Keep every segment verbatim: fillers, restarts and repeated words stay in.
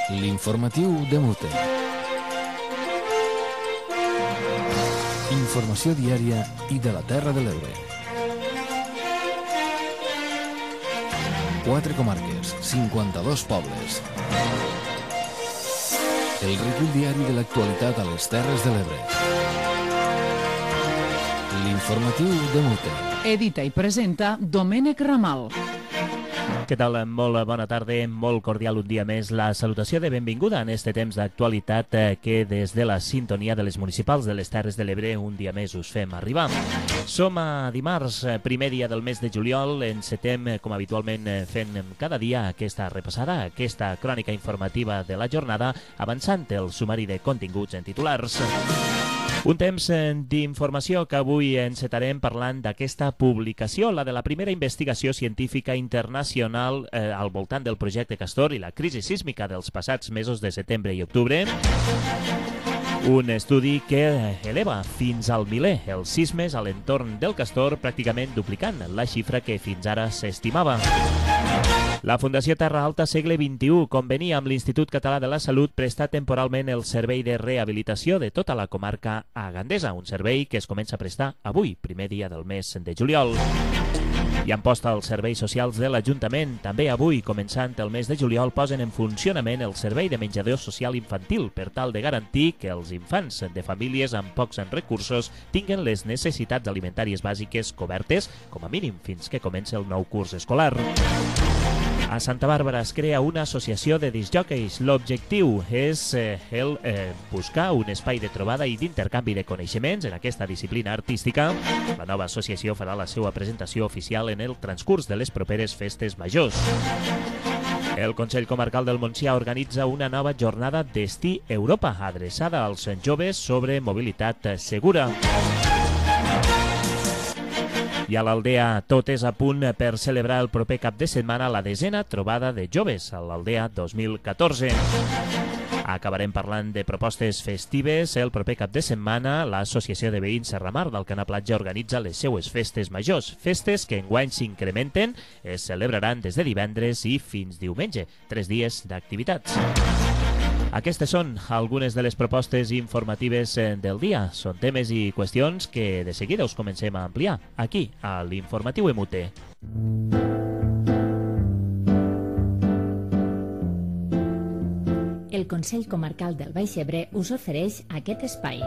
L'informatiu de Mute. Informació diària i de la Terra de l'Ebre. Quatre comarques, cinquanta-dos pobles. El recull diari de l'actualitat a les Terres de l'Ebre. L'informatiu de Mute. Edita i presenta Domènec Ramal. Què tal? Molt bona tarda, molt cordial un dia més. La salutació de benvinguda en este temps d'actualitat que des de la sintonia de les municipals de les Terres de l'Ebre un dia més us fem arribar. Som a dimarts, primer dia del mes de juliol, encetem com habitualment fent cada dia aquesta repassada, aquesta crònica informativa de la jornada, avançant el sumari de continguts en titulars. Un temps d'informació que avui encetarem parlant d'aquesta publicació, la de la primera investigació científica internacional eh, al voltant del projecte Castor i la crisi sísmica dels passats mesos de setembre i octubre. Un estudi que eleva fins al miler els sismes a l'entorn del Castor, pràcticament duplicant la xifra que fins ara s'estimava. La Fundació Terra Alta Segle vint-i-u convenia amb l'Institut Català de la Salut prestar temporalment el servei de rehabilitació de tota la comarca agandesa, un servei que es comença a prestar avui, primer dia del mes de juliol. I en posta els serveis socials de l'Ajuntament. També avui, començant el mes de juliol, posen en funcionament el servei de menjador social infantil per tal de garantir que els infants de famílies amb pocs recursos tinguen les necessitats alimentàries bàsiques cobertes, com a mínim fins que comenci el nou curs escolar. A Santa Bàrbara es crea una associació de discjòqueis. L'objectiu és eh, el eh, buscar un espai de trobada i d'intercanvi de coneixements en aquesta disciplina artística. La nova associació farà la seva presentació oficial en el transcurs de les properes festes majors. El Consell Comarcal del Montsià organitza una nova jornada Destí Europa, adreçada als joves sobre mobilitat segura. I a l'Aldea tot és a punt per celebrar el proper cap de setmana la desena trobada de joves a l'Aldea dos mil catorze. Acabarem parlant de propostes festives. El proper cap de setmana l'Associació de Veïns Serramar d'Alcanar Platja organitza les seues festes majors. Festes que enguany s'incrementen, es celebraran des de divendres i fins diumenge, tres dies d'activitats. Aquestes són algunes de les propostes informatives del dia. Són temes i qüestions que de seguida us comencem a ampliar aquí, a l'Informatiu M U T. El Consell Comarcal del Baix Ebre us ofereix aquest espai.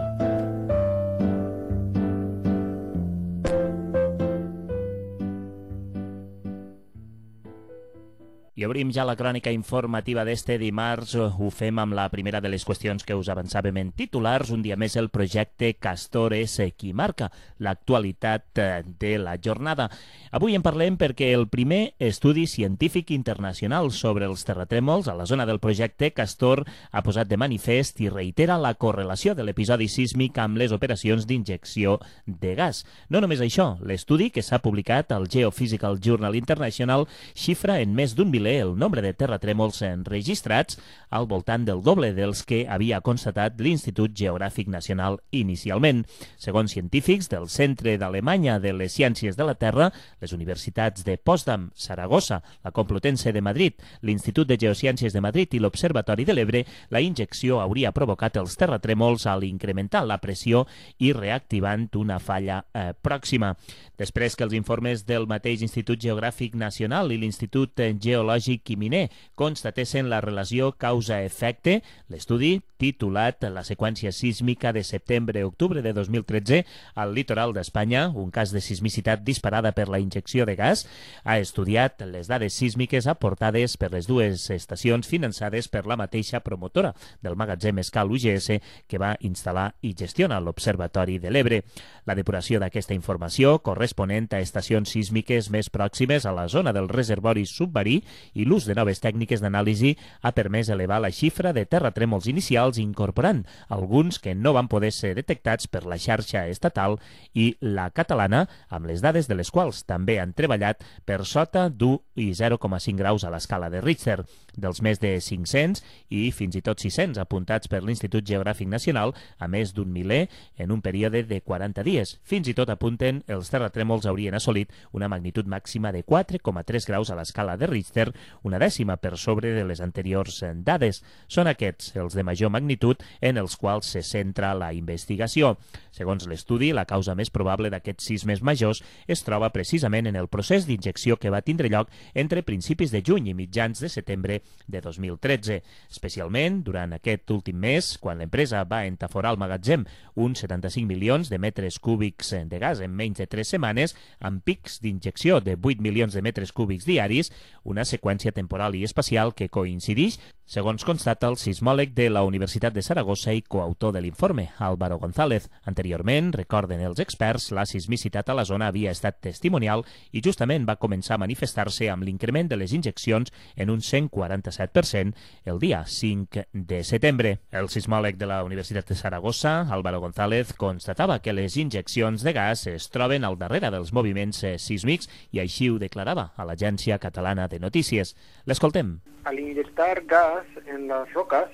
I obrim ja la crònica informativa d'este dimarts. Ho fem amb la primera de les qüestions que us avançàvem en titulars. Un dia més el projecte Castor és qui marca l'actualitat de la jornada. Avui en parlem perquè el primer estudi científic internacional sobre els terratrèmols a la zona del projecte Castor ha posat de manifest i reitera la correlació de l'episodi sísmic amb les operacions d'injecció de gas. No només això, l'estudi que s'ha publicat al Geophysical Journal International xifra en més d'un miler el nombre de terratrèmols enregistrats, al voltant del doble dels que havia constatat l'Institut Geogràfic Nacional inicialment. Segons científics del Centre d'Alemanya de les Ciències de la Terra, les universitats de Potsdam, Saragossa, la Complutense de Madrid, l'Institut de Geociències de Madrid i l'Observatori de l'Ebre, la injecció hauria provocat els terratrèmols al incrementar la pressió i reactivant una falla eh, pròxima. Després que els informes del mateix Institut Geogràfic Nacional i l'Institut Geològic i Miner constatessin la relació causa-efecte, l'estudi, titulat La seqüència sísmica de setembre-octubre de dos mil tretze al litoral d'Espanya, un cas de sismicitat disparada per la injecció de gas, ha estudiat les dades sísmiques aportades per les dues estacions finançades per la mateixa promotora del magatzem Escal U G S que va instal·lar i gestiona l'Observatori de l'Ebre. La depuració d'aquesta informació corresponent a estacions sísmiques més pròximes a la zona del reservori submarí i l'ús de noves tècniques d'anàlisi ha permès elevar la xifra de terratrèmols inicials incorporant alguns que no van poder ser detectats per la xarxa estatal i la catalana, amb les dades de les quals també han treballat per sota d'u i zero coma cinc graus a l'escala de Richter. Dels més de cinc-cents i fins i tot sis-cents apuntats per l'Institut Geogràfic Nacional, a més d'un miler en un període de quaranta dies. Fins i tot apunten els terratrèmols haurien assolit una magnitud màxima de quatre coma tres graus a l'escala de Richter una dècima per sobre de les anteriors dades. Són aquests els de major magnitud en els quals se centra la investigació. Segons l'estudi, la causa més probable d'aquests sismes majors es troba precisament en el procés d'injecció que va tindre lloc entre principis de juny i mitjans de setembre de dos mil tretze, especialment durant aquest últim mes, quan l'empresa va entaforar al magatzem uns setanta-cinc milions de metres cúbics de gas en menys de tres setmanes, amb pics d'injecció de vuit milions de metres cúbics diaris, una seqüència temporal i espacial que coincideix, segons constata el sismòleg de la Universitat de Saragossa i coautor de l'informe, Álvaro González. Anteriorment, recorden els experts, la sismicitat a la zona havia estat testimonial i justament va començar a manifestar-se amb l'increment de les injeccions en un cent quaranta-set per cent el dia cinc de setembre. El sismòleg de la Universitat de Saragossa, Álvaro González, constatava que les injeccions de gas es troben al darrere dels moviments sísmics i així ho declarava a l'Agència Catalana de Notícies. L'escoltem. Al inyectar gas en las rocas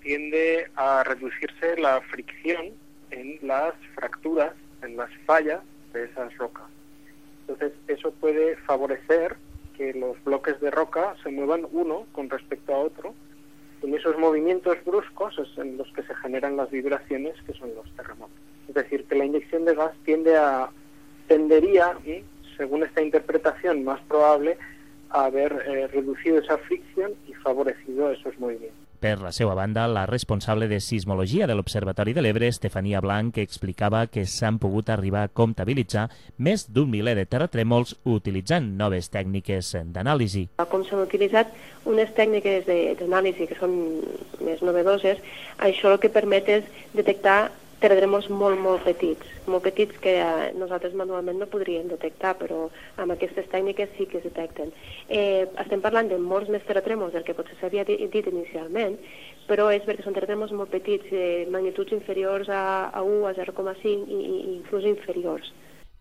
tiende a reducirse la fricción en las fracturas, en las fallas de esas rocas. Entonces, eso puede favorecer que los bloques de roca se muevan uno con respecto a otro. En esos movimientos bruscos es en los que se generan las vibraciones, que son los terremotos. Es decir, que la inyección de gas tiende a, tendería, ¿sí?, según esta interpretación más probable, a haber eh, reducido esa fricción y favorecido esos movimientos. Per la seva banda, la responsable de sismologia de l'Observatori de l'Ebre, Estefania Blanc, explicava que s'han pogut arribar a comptabilitzar més d'un miler de terratrèmols utilitzant noves tècniques d'anàlisi. Com s'han utilitzat unes tècniques d'anàlisi que són més novedoses, això el que permet és detectar terratrèmols molt, molt petits, molt petits que eh, nosaltres manualment no podríem detectar, però amb aquestes tècniques sí que es detecten. Eh, estem parlant de molts més terratrèmols del que potser s'havia dit inicialment, però és perquè són terratrèmols molt petits, eh, magnituds inferiors a, a u, a zero coma cinc i, i inclús inferiors.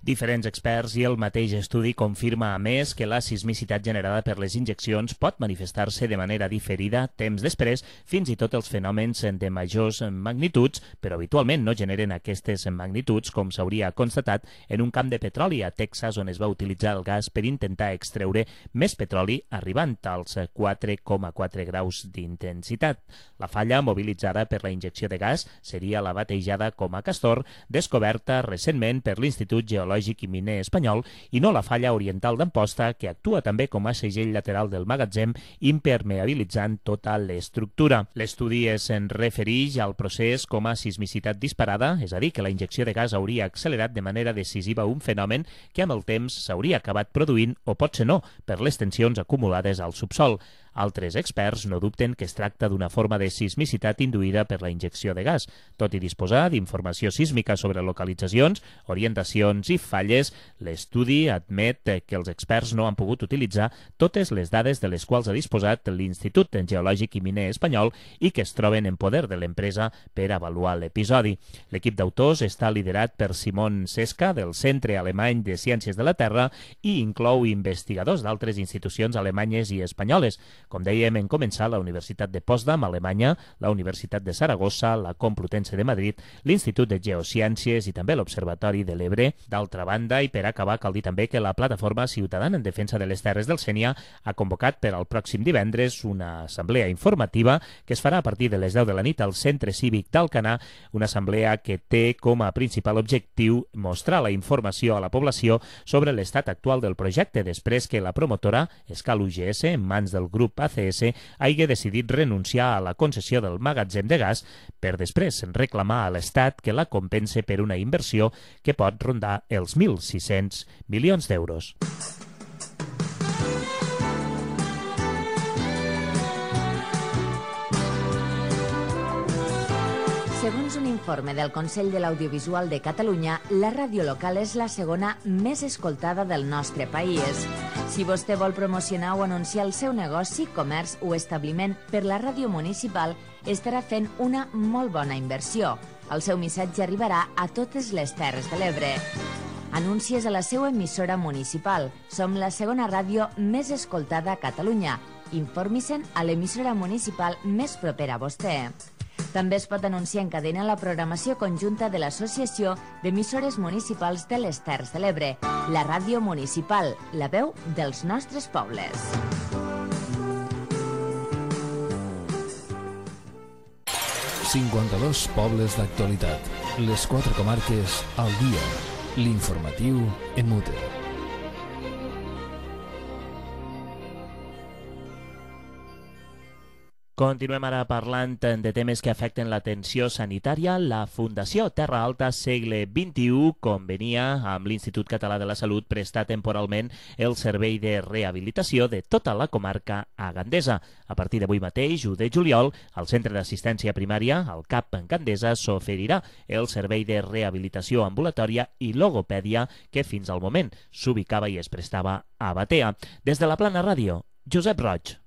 Diferents experts i el mateix estudi confirma, a més, que la sismicitat generada per les injeccions pot manifestar-se de manera diferida temps després, fins i tot els fenòmens de majors magnituds, però habitualment no generen aquestes magnituds, com s'hauria constatat en un camp de petroli a Texas, on es va utilitzar el gas per intentar extreure més petroli, arribant als quatre coma quatre graus d'intensitat. La falla mobilitzada per la injecció de gas seria la batejada com a Castor, descoberta recentment per l'Institut Geològic i Miner espanyol, i no la falla oriental d'Amposta, que actua també com a segell lateral del magatzem, impermeabilitzant tota l'estructura. L'estudi es refereix al procés com a sismicitat disparada, és a dir, que la injecció de gas hauria accelerat de manera decisiva un fenomen que amb el temps s'hauria acabat produint, o potser no, per les tensions acumulades al subsol. Altres experts no dubten que es tracta d'una forma de sismicitat induïda per la injecció de gas. Tot i disposar d'informació sísmica sobre localitzacions, orientacions i falles, l'estudi admet que els experts no han pogut utilitzar totes les dades de les quals ha disposat l'Institut Geològic i Miner espanyol i que es troben en poder de l'empresa per avaluar l'episodi. L'equip d'autors està liderat per Simon Seska, del Centre Alemany de Ciències de la Terra, i inclou investigadors d'altres institucions alemanyes i espanyoles. Com dèiem en començar, la Universitat de Potsdam, Alemanya, la Universitat de Saragossa, la Complutense de Madrid, l'Institut de Geociències i també l'Observatori de l'Ebre. D'altra banda, i per acabar, cal dir també que la Plataforma Ciutadana en Defensa de les Terres del Sénia ha convocat per al pròxim divendres una assemblea informativa que es farà a partir de les deu de la nit al Centre Cívic d'Alcanar, una assemblea que té com a principal objectiu mostrar la informació a la població sobre l'estat actual del projecte després que la promotora, Escal U G S, en mans del grup A C S, hagi decidit renunciar a la concessió del magatzem de gas per després reclamar a l'Estat que la compense per una inversió que pot rondar els mil sis-cents milions d'euros. Segons un informe del Consell de l'Audiovisual de Catalunya, la ràdio local és la segona més escoltada del nostre país. Si vostè vol promocionar o anunciar el seu negoci, comerç o establiment per la ràdio municipal, estarà fent una molt bona inversió. El seu missatge arribarà a totes les Terres de l'Ebre. Anuncies a la seva emissora municipal. Som la segona ràdio més escoltada a Catalunya. Informi-se'n a l'emissora municipal més propera a vostè. També es pot anunciar en cadena la programació conjunta de l'Associació d'Emissores Municipals de les Terres de l'Ebre, la ràdio municipal, la veu dels nostres pobles. cinquanta-dos pobles d'actualitat. Les quatre comarques al dia. L'informatiu en mute. Continuem ara parlant de temes que afecten l'atenció sanitària. La Fundació Terra Alta Segle vint-i-u convenia amb l'Institut Català de la Salut prestar temporalment el servei de rehabilitació de tota la comarca a Gandesa. A partir d'avui mateix, u de juliol, al Centre d'Assistència Primària, al C A P en Gandesa, s'oferirà el servei de rehabilitació ambulatòria i logopèdia que fins al moment s'ubicava i es prestava a Batea. Des de la Plana Ràdio, Josep Roig.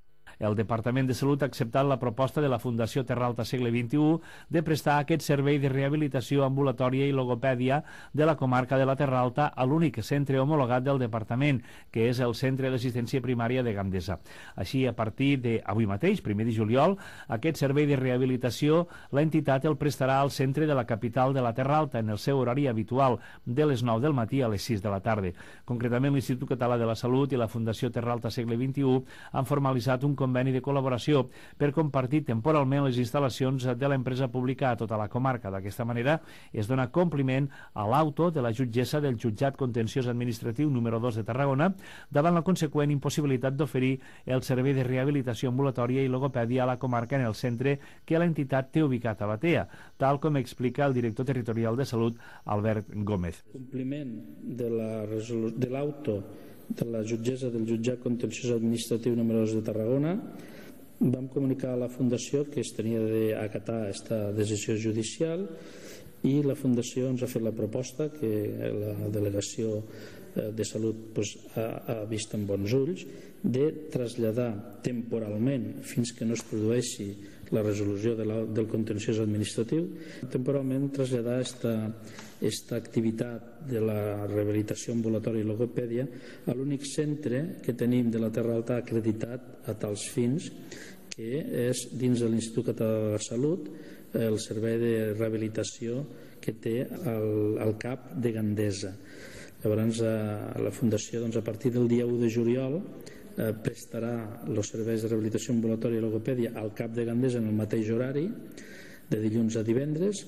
El Departament de Salut ha acceptat la proposta de la Fundació Terra Alta Segle vint-i-u de prestar aquest servei de rehabilitació ambulatòria i logopèdia de la comarca de la Terra Alta a l'únic centre homologat del departament, que és el Centre d'Assistència Primària de Gandesa. Així, a partir d'avui mateix, primer de juliol, aquest servei de rehabilitació l'entitat el prestarà al centre de la capital de la Terra Alta en el seu horari habitual, de les nou del matí a les sis de la tarda. Concretament, l'Institut Català de la Salut i la Fundació Terra Alta Segle vint-i-u han formalitzat un conveni de col·laboració per compartir temporalment les instal·lacions de l'empresa pública a tota la comarca. D'aquesta manera es dona compliment a l'auto de la jutgessa del Jutjat Contenciós Administratiu número dos de Tarragona davant la conseqüent impossibilitat d'oferir el servei de rehabilitació ambulatòria i logopèdia a la comarca en el centre que l'entitat té ubicat a Batea, tal com explica el director territorial de Salut, Albert Gómez. Compliment de l'auto de la jutgessa del Jutjat Contenciós Administratiu número dos de Tarragona. Vam comunicar a la Fundació que es tenia d'acatar aquesta decisió judicial i la Fundació ens ha fet la proposta que la Delegació de Salut pues, ha, ha vist amb bons ulls de traslladar temporalment fins que no es produeixi la resolució de la, del contenciós administratiu, temporalment traslladar esta, esta activitat de la rehabilitació ambulatòria i logopèdia a l'únic centre que tenim de la Terra Alta acreditat a tals fins, que és dins de l'Institut Català de la Salut el servei de rehabilitació que té el, el C A P de Gandesa. Llavors, a la Fundació, doncs, a partir del dia u de juliol, eh, prestarà els serveis de rehabilitació ambulatòria i logopèdia al C A P de Gandesa en el mateix horari, de dilluns a divendres.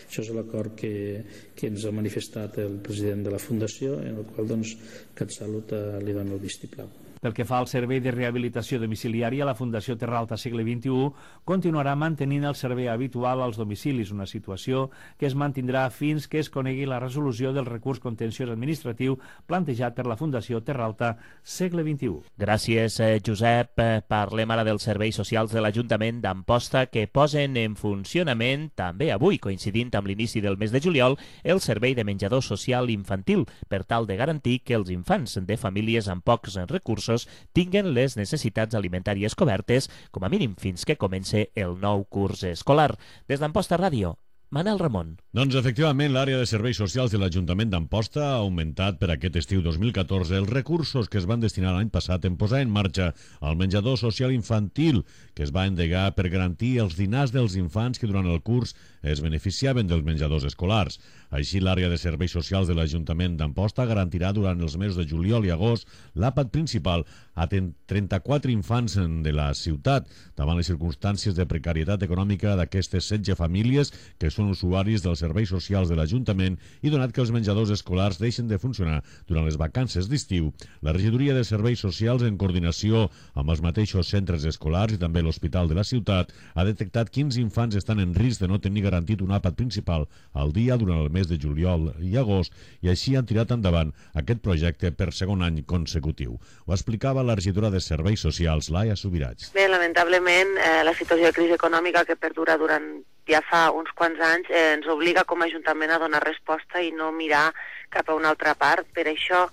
Això és l'acord que, que ens ha manifestat el president de la Fundació, en el qual, doncs, CatSalut eh, li dona el vistiplau. Pel que fa al servei de rehabilitació domiciliària, la Fundació Terra Alta Segle vint-i-u continuarà mantenint el servei habitual als domicilis, una situació que es mantindrà fins que es conegui la resolució del recurs contenciós administratiu plantejat per la Fundació Terra Alta Segle vint-i-u. Gràcies, Josep. Parlem ara dels serveis socials de l'Ajuntament d'Amposta que posen en funcionament, també avui, coincidint amb l'inici del mes de juliol, el servei de menjador social infantil, per tal de garantir que els infants de famílies amb pocs recursos tinguen les necessitats alimentàries cobertes, com a mínim fins que comence el nou curs escolar. Des d'Amposta Ràdio, Manel Ramon. Doncs efectivament, l'àrea de serveis socials de l'Ajuntament d'Amposta ha augmentat per aquest estiu dos mil catorze els recursos que es van destinar l'any passat en posar en marxa el menjador social infantil, que es va endegar per garantir els dinars dels infants que durant el curs es beneficiaven dels menjadors escolars. Així, l'àrea de serveis socials de l'Ajuntament d'Amposta garantirà durant els mesos de juliol i agost l'àpat principal a trenta-quatre infants de la ciutat, davant les circumstàncies de precarietat econòmica d'aquestes setze famílies que són usuaris dels serveis socials de l'Ajuntament i donat que els menjadors escolars deixen de funcionar durant les vacances d'estiu, la Regidoria de Serveis Socials, en coordinació amb els mateixos centres escolars i també l'Hospital de la Ciutat, ha detectat quins infants estan en risc de no tenir garantit un àpat principal al dia durant el mes de juliol i agost, i així han tirat endavant aquest projecte per segon any consecutiu. Ho explicava la regidora de Serveis Socials, Laia Subirats. Bé, lamentablement, eh, la situació de crisi econòmica que perdura durant ja fa uns quants anys eh, ens obliga com a Ajuntament a donar resposta i no mirar cap a una altra part. Per això,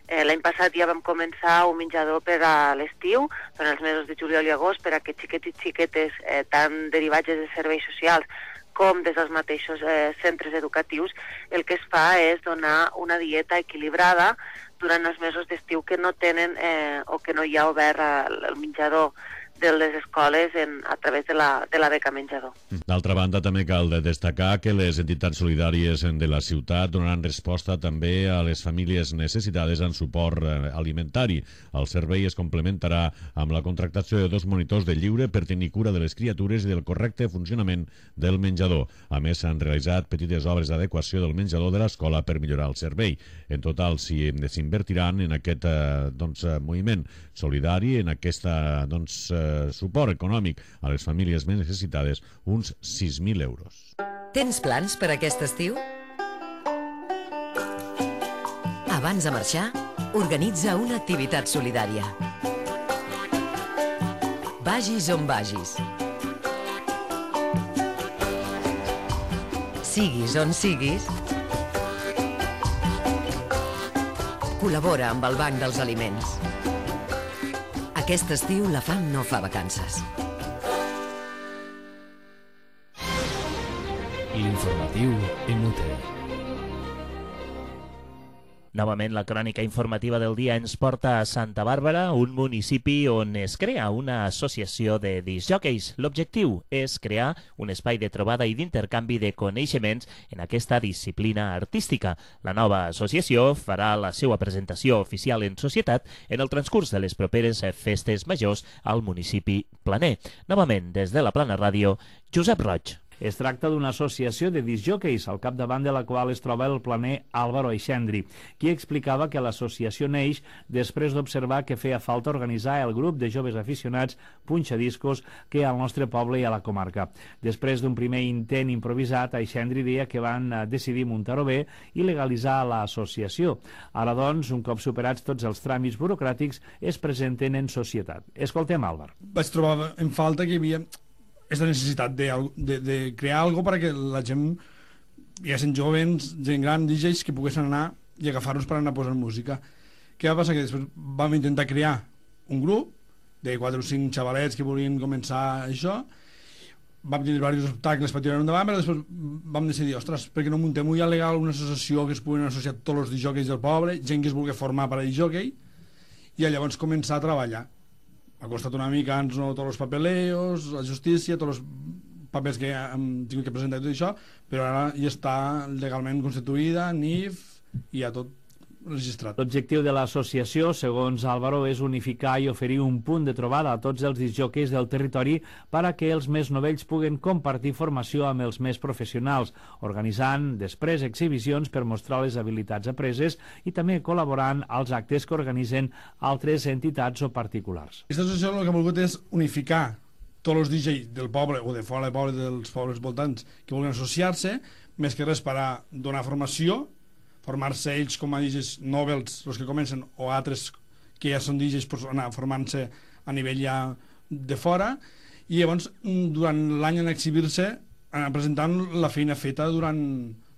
eh, l'any passat ja vam començar un menjador per a l'estiu, durant els mesos de juliol i agost, per a aquests xiquets i xiquetes, eh, tant derivats de serveis socials com des dels mateixos eh, centres educatius. El que es fa és donar una dieta equilibrada durant els mesos d'estiu que no tenen eh, o que no hi ha obert el menjador de les escoles en, a través de la, de la beca menjador. D'altra banda, també cal destacar que les entitats solidàries de la ciutat donaran resposta també a les famílies necessitades en suport alimentari. El servei es complementarà amb la contractació de dos monitors de lliure per tenir cura de les criatures i del correcte funcionament del menjador. A més, s'han realitzat petites obres d'adequació del menjador de l'escola per millorar el servei. En total, s'invertiran en aquest eh, doncs, moviment solidari, en aquest doncs, eh, suport econòmic a les famílies més necessitades, uns sis mil euros. Tens plans per aquest estiu? Abans de marxar, organitza una activitat solidària. Vagis on vagis. Siguis on siguis, col·labora amb el Banc dels Aliments. Aquest estiu la fam no fa vacances. L'informatiu en U T E. Novament, la crònica informativa del dia ens porta a Santa Bàrbara, un municipi on es crea una associació de discjòqueis. L'objectiu és crear un espai de trobada i d'intercanvi de coneixements en aquesta disciplina artística. La nova associació farà la seva presentació oficial en societat en el transcurs de les properes festes majors al municipi planer. Novament, des de la Plana Ràdio, Josep Roig. Es tracta d'una associació de discjòqueis, al capdavant de la qual es troba el planer Álvaro Aixendri, qui explicava que l'associació neix després d'observar que feia falta organitzar el grup de joves aficionats punxadiscos que hi ha al nostre poble i a la comarca. Després d'un primer intent improvisat, Aixendri deia que van decidir muntar-ho bé i legalitzar l'associació. Ara, doncs, un cop superats tots els tràmits burocràtics, es presenten en societat. Escoltem, Álvaro. Vaig trobar en falta que hi havia aquesta necessitat de, de, de crear alguna cosa perquè la gent, ja sent jovens, gent gran, D Js, que poguessin anar i agafar-nos per anar posant música. Què va passar? Que després vam intentar crear un grup de quatre o cinc xavalets que volien començar això, vam tenir diversos obstacles per tirar endavant, però després vam decidir, ostres, perquè no muntem ja legal una associació que es puguin associar tots els disjòqueis del poble, gent que es vulgui formar per a disjòquei, i llavors començar a treballar. Ha costat una mica, ens no, tots els papeleos, la justícia, tots els papers que hem tingut que presentar i tot això, però ara ja està legalment constituïda, N I F, i ja tot registrat. L'objectiu de l'associació, segons Álvaro, és unificar i oferir un punt de trobada a tots els disjòqueis del territori per a que els més novells puguen compartir formació amb els més professionals, organitzant després exhibicions per mostrar les habilitats apreses i també col·laborant als actes que organitzen altres entitats o particulars. Aquesta associació el que ha volgut és unificar tots els D Js del poble o de fora del poble, dels pobles voltants que vulguin associar-se, més que res per a donar formació, formar-se ells com a D Js nobles, els que comencen, o altres que ja són D Js per anar formant-se a nivell ja de fora, i llavors durant l'any en exhibir-se, anar presentant la feina feta durant,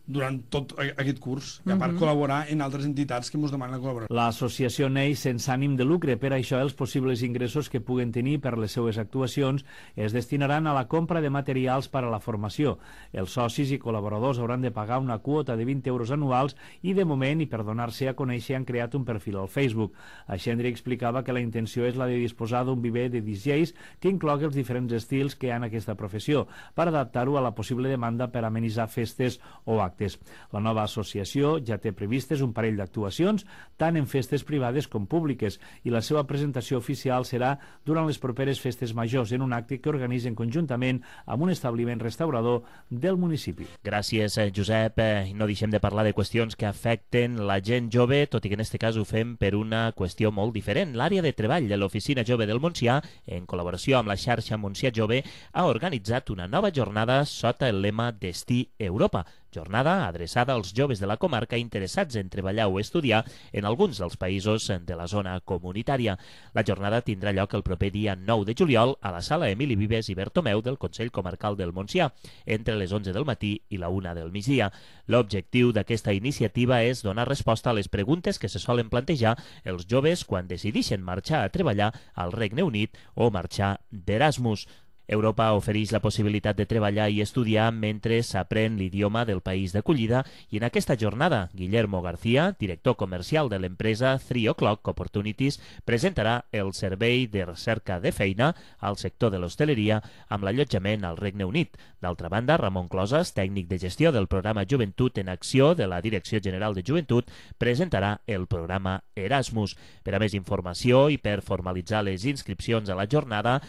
durant tot aquest curs, i a part Mhm. col·laborar en altres entitats que ens demanen la col·laboració. L'associació neix sense ànim de lucre, per això els possibles ingressos que puguen tenir per les seues actuacions es destinaran a la compra de materials per a la formació. Els socis i col·laboradors hauran de pagar una quota de vint euros anuals i de moment, i per donar-se a conèixer, han creat un perfil al Facebook. Aixendri explicava que la intenció és la de disposar d'un viver de D Js que inclogui els diferents estils que hi ha en aquesta professió, per adaptar-ho a la possible demanda per amenitzar festes o actes. La nova associació ja té previstes un parell d'actuacions, tant en festes privades com públiques, i la seva presentació oficial serà durant les properes festes majors, en un acte que organitzen conjuntament amb un establiment restaurador del municipi. Gràcies, Josep. No deixem de parlar de qüestions que afecten la gent jove, tot i que en aquest cas ho fem per una qüestió molt diferent. L'àrea de treball de l'Oficina Jove del Montsià, en col·laboració amb la xarxa Montsià Jove, ha organitzat una nova jornada sota el lema Destí Europa. Jornada adreçada als joves de la comarca interessats en treballar o estudiar en alguns dels països de la zona comunitària. La jornada tindrà lloc el proper dia nou de juliol a la sala Emili Vives i Bertomeu del Consell Comarcal del Montsià, entre les onze del matí i la una del migdia. L'objectiu d'aquesta iniciativa és donar resposta a les preguntes que se solen plantejar els joves quan decideixen marxar a treballar al Regne Unit o marxar d'Erasmus. Europa ofereix la possibilitat de treballar i estudiar mentre s'aprèn l'idioma del país d'acollida i en aquesta jornada Guillermo García, director comercial de l'empresa three o'clock Opportunities, presentarà el servei de recerca de feina al sector de l'hostaleria amb l'allotjament al Regne Unit. D'altra banda, Ramon Closas, tècnic de gestió del programa Joventut en Acció de la Direcció General de Joventut, presentarà el programa Erasmus. Per a més informació i per formalitzar les inscripcions a la jornada,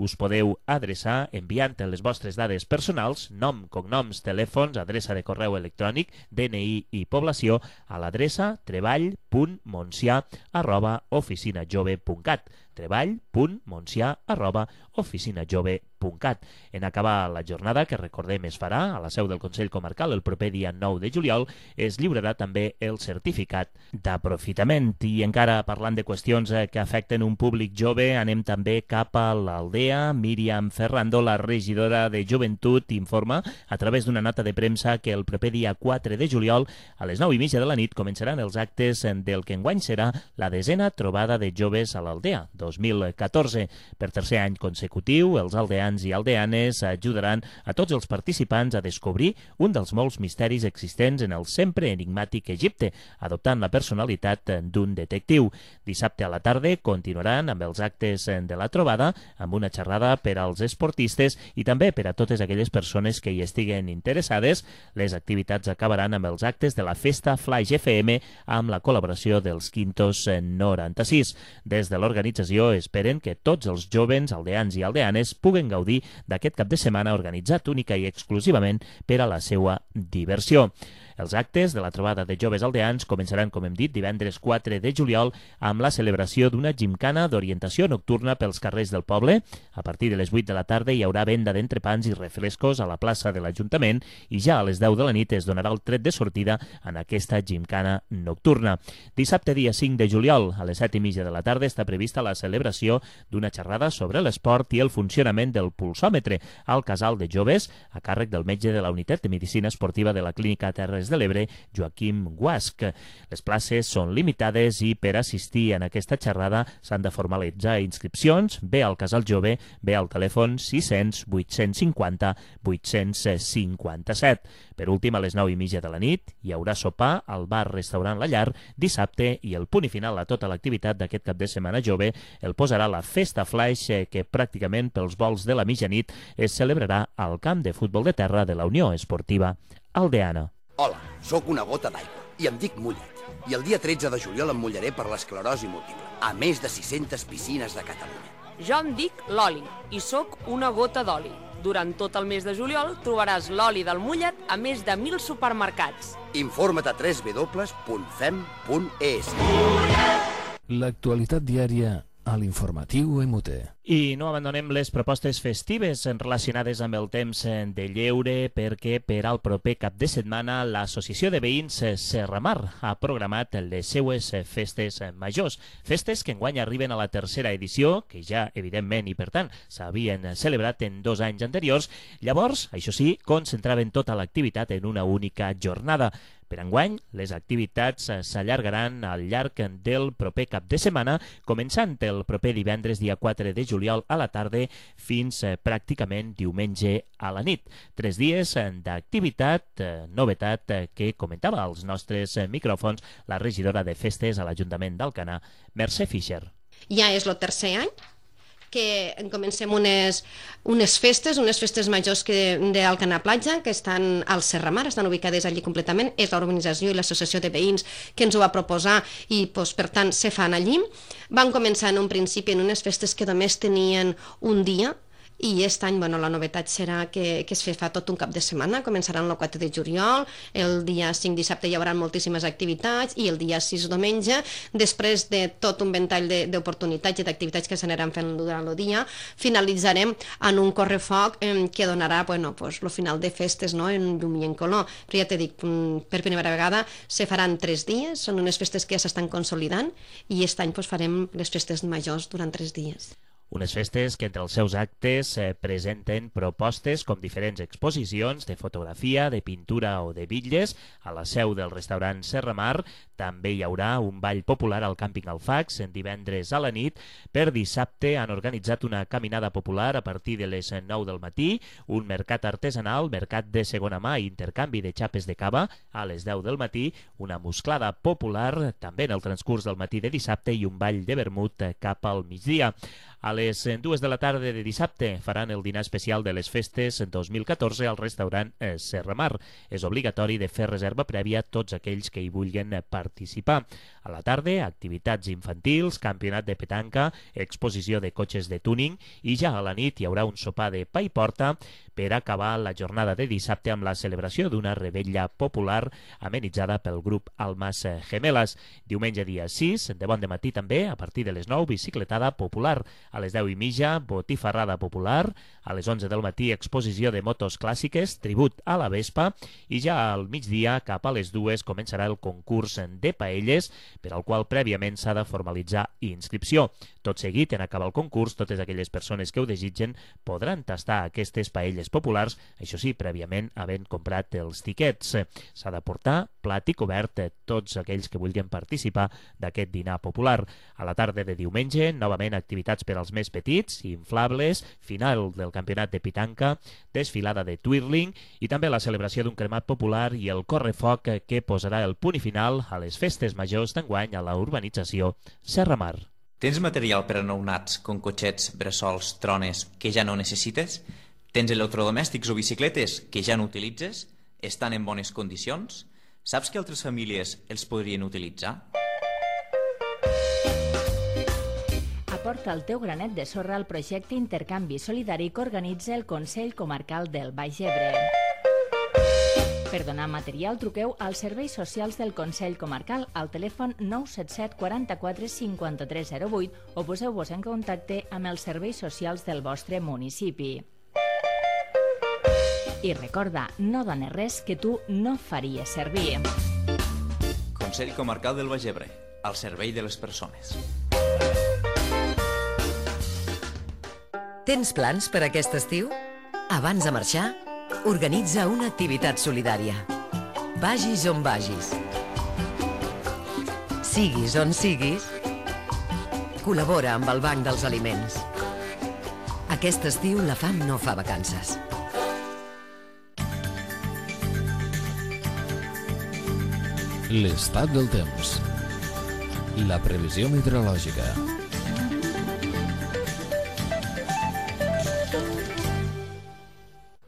us podeu adreçar enviant les vostres dades personals, nom, cognoms, telèfons, adreça de correu electrònic, D N I i població a l'adreça treball punt moncià arroba oficinajove punt cat treball punt moncià arroba oficinajove punt cat. En acabar la jornada, que recordem es farà a la seu del Consell Comarcal el proper dia nou de juliol, es lliurarà també el certificat d'aprofitament. I encara parlant de qüestions que afecten un públic jove, anem també cap a l'Aldea. Míriam Ferrando, la regidora de Joventut, informa a través d'una nota de premsa que el proper dia quatre de juliol a les nou i mitja de la nit començaran els actes del que enguany serà la desena trobada de joves a l'Aldea dos mil catorze. Per tercer any consecutiu, els aldeans i aldeanes ajudaran a tots els participants a descobrir un dels molts misteris existents en el sempre enigmàtic Egipte, adoptant la personalitat d'un detectiu. Dissabte a la tarda continuaran amb els actes de la trobada, amb una xerrada per als esportistes i també per a totes aquelles persones que hi estiguen interessades. Les activitats acabaran amb els actes de la Festa Flaix F M amb la col·laboració dels Quintos noranta-sis. Des de l'organització esperen que tots els jovens aldeans i aldeanes puguen gaudir d'aquest cap de setmana organitzat única i exclusivament per a la seva diversió. Els actes de la trobada de joves aldeans començaran, com hem dit, divendres quatre de juliol amb la celebració d'una gimcana d'orientació nocturna pels carrers del poble. A partir de les vuit de la tarda hi haurà venda d'entrepans i refrescos a la plaça de l'Ajuntament i ja a les deu de la nit es donarà el tret de sortida en aquesta gimcana nocturna. Dissabte, dia cinc de juliol, a les set i mitja de la tarda està prevista la celebració d'una xerrada sobre l'esport i el funcionament del pulsòmetre al casal de joves a càrrec del metge de la Unitat de Medicina Esportiva de la Clínica Terres de l'Ebre, Joaquim Guasc. Les places són limitades i per assistir en aquesta xerrada s'han de formalitzar inscripcions, bé al Casal Jove, bé al telèfon sis cents vuit-cents cinquanta vuit-cents cinquanta-set. Per últim, a les nou i mitja de la nit hi haurà sopar al bar-restaurant La Llar dissabte i el punt i final a tota l'activitat d'aquest cap de setmana jove el posarà la Festa Flaix, que pràcticament pels vols de la mitjanit es celebrarà al camp de futbol de terra de la Unió Esportiva Aldeana. Hola, sóc una gota d'aigua i em dic Mullet. I el dia tretze de juliol em mullaré per l'esclerosi múltiple, a més de sis-centes piscines de Catalunya. Jo em dic Loli i sóc una gota d'oli. Durant tot el mes de juliol trobaràs l'oli del mullet a més de mil supermercats. Informa't a w w w punt fem punt e s. L'actualitat diària a l'informatiu M T. I no abandonem les propostes festives relacionades amb el temps de lleure perquè per al proper cap de setmana l'Associació de Veïns Serramar ha programat les seues festes majors. Festes que enguany arriben a la tercera edició, que ja evidentment i per tant s'havien celebrat en dos anys anteriors. Llavors, això sí, concentraven tota l'activitat en una única jornada. Per enguany, les activitats s'allargaran al llarg del proper cap de setmana, començant el proper divendres dia quatre de juliol a la tarda fins pràcticament diumenge a la nit. Tres dies d'activitat, novetat que comentava als nostres micròfons la regidora de festes a l'Ajuntament d'Alcanar, Mercè Fischer. Ja és el tercer any que comencem unes, unes festes, unes festes majors d'Alcanar Platja, que estan al Serramar, estan ubicades allí completament. És l'organització i l'associació de veïns que ens ho va proposar i, doncs, per tant, se fan allí. Van començar en un principi en unes festes que només tenien un dia, i aquest any, bueno, la novetat serà que, que es fa tot un cap de setmana. Començaran el quatre de juliol, el dia cinc dissabte hi haurà moltíssimes activitats i el dia sis diumenge, després de tot un ventall d'oportunitats i d'activitats que s'aniran fent durant el dia, finalitzarem en un correfoc eh, que donarà, bueno, pues, el final de festes, no?, en llum i en color. Però ja t'he dit, per primera vegada se faran tres dies, són unes festes que ja s'estan consolidant i aquest any pues, farem les festes majors durant tres dies. Unes festes que entre els seus actes eh, presenten propostes com diferents exposicions de fotografia, de pintura o de bitlles a la seu del restaurant Serra Mar. També hi haurà un ball popular al càmping Alfax en divendres a la nit. Per dissabte han organitzat una caminada popular a partir de les nou del matí, un mercat artesanal, mercat de segona mà i intercanvi de xapes de cava a les deu del matí, una musclada popular també en el transcurs del matí de dissabte i un ball de vermut cap al migdia. A les dues de la tarda de dissabte faran el dinar especial de les festes dos mil catorze al restaurant Serra Mar. És obligatori de fer reserva prèvia a tots aquells que hi vulguin participar. A la tarda, activitats infantils, campionat de petanca, exposició de cotxes de tuning i ja a la nit hi haurà un sopar de pa i porta per acabar la jornada de dissabte amb la celebració d'una revetlla popular amenitzada pel grup Almas Gemelas. Diumenge dia sis, de bon dematí també, a partir de les nou, bicicletada popular. A les deu i mitja, botifarrada popular. A les onze del matí, exposició de motos clàssiques, tribut a la Vespa. I ja al migdia, cap a les dues, començarà el concurs de paelles, per al qual prèviament s'ha de formalitzar inscripció. Tot seguit, en acabar el concurs, totes aquelles persones que ho desitgen podran tastar aquestes paelles populars, això sí, prèviament havent comprat els tiquets. S'ha de portar plat i cobert tots aquells que vulguin participar d'aquest dinar popular. A la tarda de diumenge, novament activitats per als més petits, inflables, final del campionat de pitanca, desfilada de twirling i també la celebració d'un cremat popular i el correfoc que posarà el punt i final a les festes majors d'enguany a la urbanització Serra Mar. Tens material per a nounats, com cotxets, bressols, trones, que ja no necessites? Tens electrodomèstics o bicicletes que ja no utilitzes? Estan en bones condicions? Saps que altres famílies els podrien utilitzar? Aporta el teu granet de sorra al projecte Intercanvi Solidari que organitza el Consell Comarcal del Baix Ebre. Per donar material, truqueu als serveis socials del Consell Comarcal al telèfon nou set set quaranta-quatre cinquanta-tres zero vuit o poseu-vos en contacte amb els serveis socials del vostre municipi. I recorda, no dones res que tu no faries servir. Consell Comarcal del Baix Ebre, al servei de les persones. Tens plans per aquest estiu? Abans de marxar, organitza una activitat solidària. Vagis on vagis. Siguis on siguis, col·labora amb el Banc dels Aliments. Aquest estiu la fam no fa vacances. L'estat del temps. La previsió meteorològica.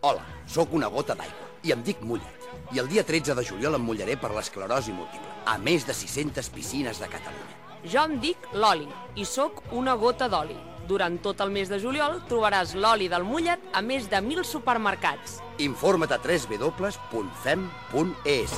Hola, sóc una gota d'aigua i em dic Mullet. I el dia tretze de juliol em mullaré per l'esclerosi múltiple, a més de sis-centes piscines de Catalunya. Jo em dic Loli i sóc una gota d'oli. Durant tot el mes de juliol trobaràs l'oli del mullet a més de mil supermercats. Informa't a w w w punt fem punt e s.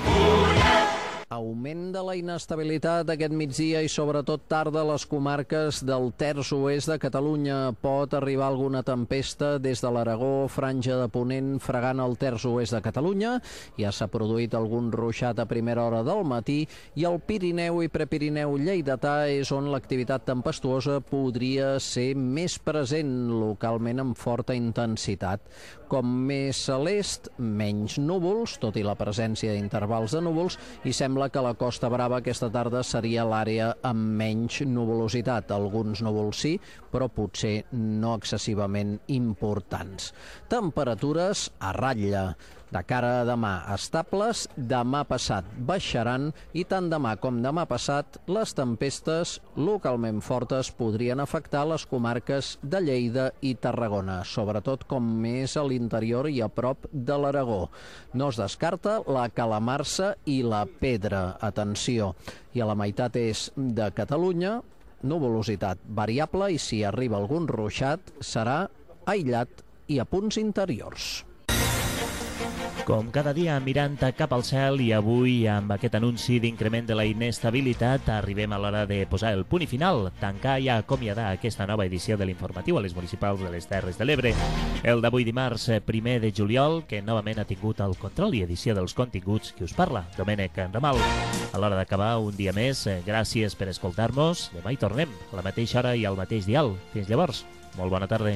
Augment de la inestabilitat aquest migdia i sobretot tarda a les comarques del terç oest de Catalunya. Pot arribar alguna tempesta des de l'Aragó, franja de Ponent, fregant el terç oest de Catalunya. Ja s'ha produït algun ruixat a primera hora del matí i el Pirineu i Prepirineu lleidatà és on l'activitat tempestuosa podria ser més present, localment amb forta intensitat. Com més a l'est, menys núvols, tot i la presència d'intervals de núvols, i sembla que la Costa Brava aquesta tarda seria l'àrea amb menys nuvolositat. Alguns núvols sí, però potser no excessivament importants. Temperatures a ratlla. De cara a demà, estables, demà passat baixaran i tant demà com demà passat les tempestes localment fortes podrien afectar les comarques de Lleida i Tarragona, sobretot com més a l'interior i a prop de l'Aragó. No es descarta la calamarsa i la pedra. Atenció, i a la meitat est de Catalunya, nuvolositat variable i si arriba algun ruixat serà aïllat i a punts interiors. Com cada dia mirant cap al cel i avui amb aquest anunci d'increment de la inestabilitat arribem a l'hora de posar el punt i final, tancar i acomiadar aquesta nova edició de l'informatiu a les municipals de les Terres de l'Ebre. El d'avui dimarts primer de juliol, que novament ha tingut el control i edició dels continguts que us parla, Domènec Ramal. A l'hora d'acabar un dia més, gràcies per escoltar-nos. Demà hi tornem, a la mateixa hora i al mateix dial. Fins llavors, Molt bona tarda.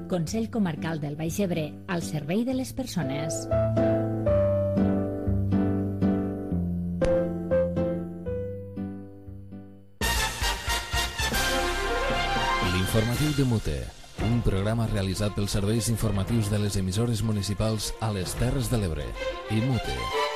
Consell Comarcal del Baix Ebre, al servei de les persones. L'informatiu de Mute, un programa realitzat pels serveis informatius de les emissores municipals a les Terres de l'Ebre i Mute.